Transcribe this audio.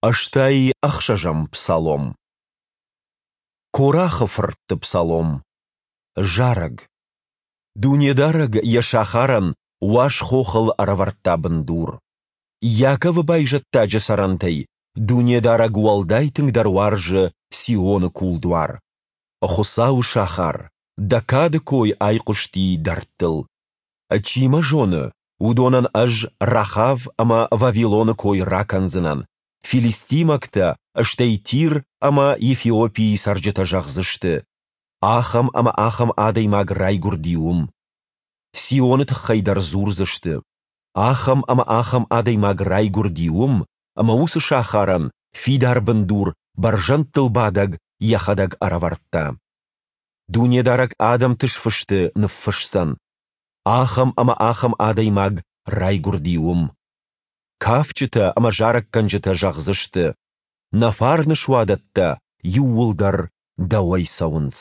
86-ӕм псалом. Корахы фыртты псалом. Зарӕг. Дунедарӕг йӕ сахарӕн уаз хохыл ӕрӕвӕрдта бындур. Иаковы байзӕддаджы цӕрӕнтӕй Дунедарӕг уӕлдай тынгдӕр уарзы Сионы кулдуар. Хуыцауы сахар, дӕ кады кой айхъуысти дӕрдтыл. Чи мӕ зоны, уыдонӕн ӕз Рахав ӕмӕ Вавилоны кой ракӕндзынӕн, филистимӕгтӕ, стӕй Тир ӕмӕ Ефиопийы цӕрджытӕ зӕгъдзысты: Ахӕм ӕмӕ ахӕм адӕймаг райгуырди уым. Сионы тыххӕй дӕр дзурдзысты: Ахӕм ӕмӕ ахӕм адӕймаг райгуырди уым, ӕмӕ уыцы сахарӕн фидар бындур Бӕрзӕндтыл Бадӕг йӕхӕдӕг ӕрӕвӕрдта. Дунедарӕг адӕмты сфысты ныффысдзӕн: Ахӕм ӕмӕ ахӕм адӕймаг райгуырди уым. Кафджытӕ ӕмӕ зарӕггӕнджытӕ зӕгъдзысты: Нӕ фарны суадӕттӕ иууылдӕр дӕуӕй цӕуынц.